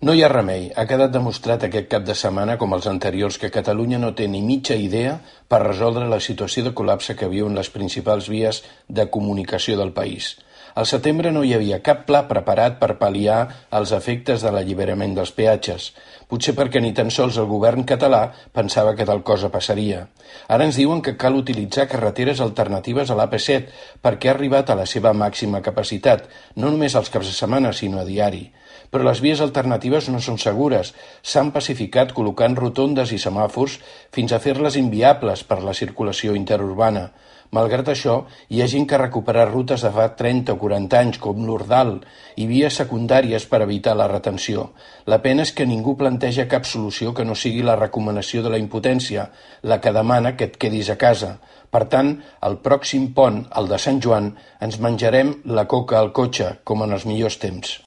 No hi ha remei. Ha quedat demostrat aquest cap de setmana, com els anteriors, que Catalunya no té ni mitja idea per resoldre la situació de col·lapse que viuen les principals vies de comunicació del país. Al setembre no hi havia cap pla preparat per pal·liar els efectes de l'alliberament dels peatges, potser perquè ni tan sols el govern català pensava que tal cosa passaria. Ara ens diuen que cal utilitzar carreteres alternatives a l'AP7 perquè ha arribat a la seva màxima capacitat, no només als caps de setmana, sinó a diari. Però les vies alternatives no són segures. S'han pacificat col·locant rotondes i semàfors fins a fer-les inviables per la circulació interurbana. Malgrat això, hi ha gent que ha recuperat rutes de fa 30 o 40 anys, com l'Ordal, i vies secundàries per evitar la retenció. La pena és que ningú planteja cap solució que no sigui la recomanació de la impotència, la que demana que et quedis a casa. Per tant, el pròxim pont, el de Sant Joan, ens menjarem la coca al cotxe, com en els millors temps.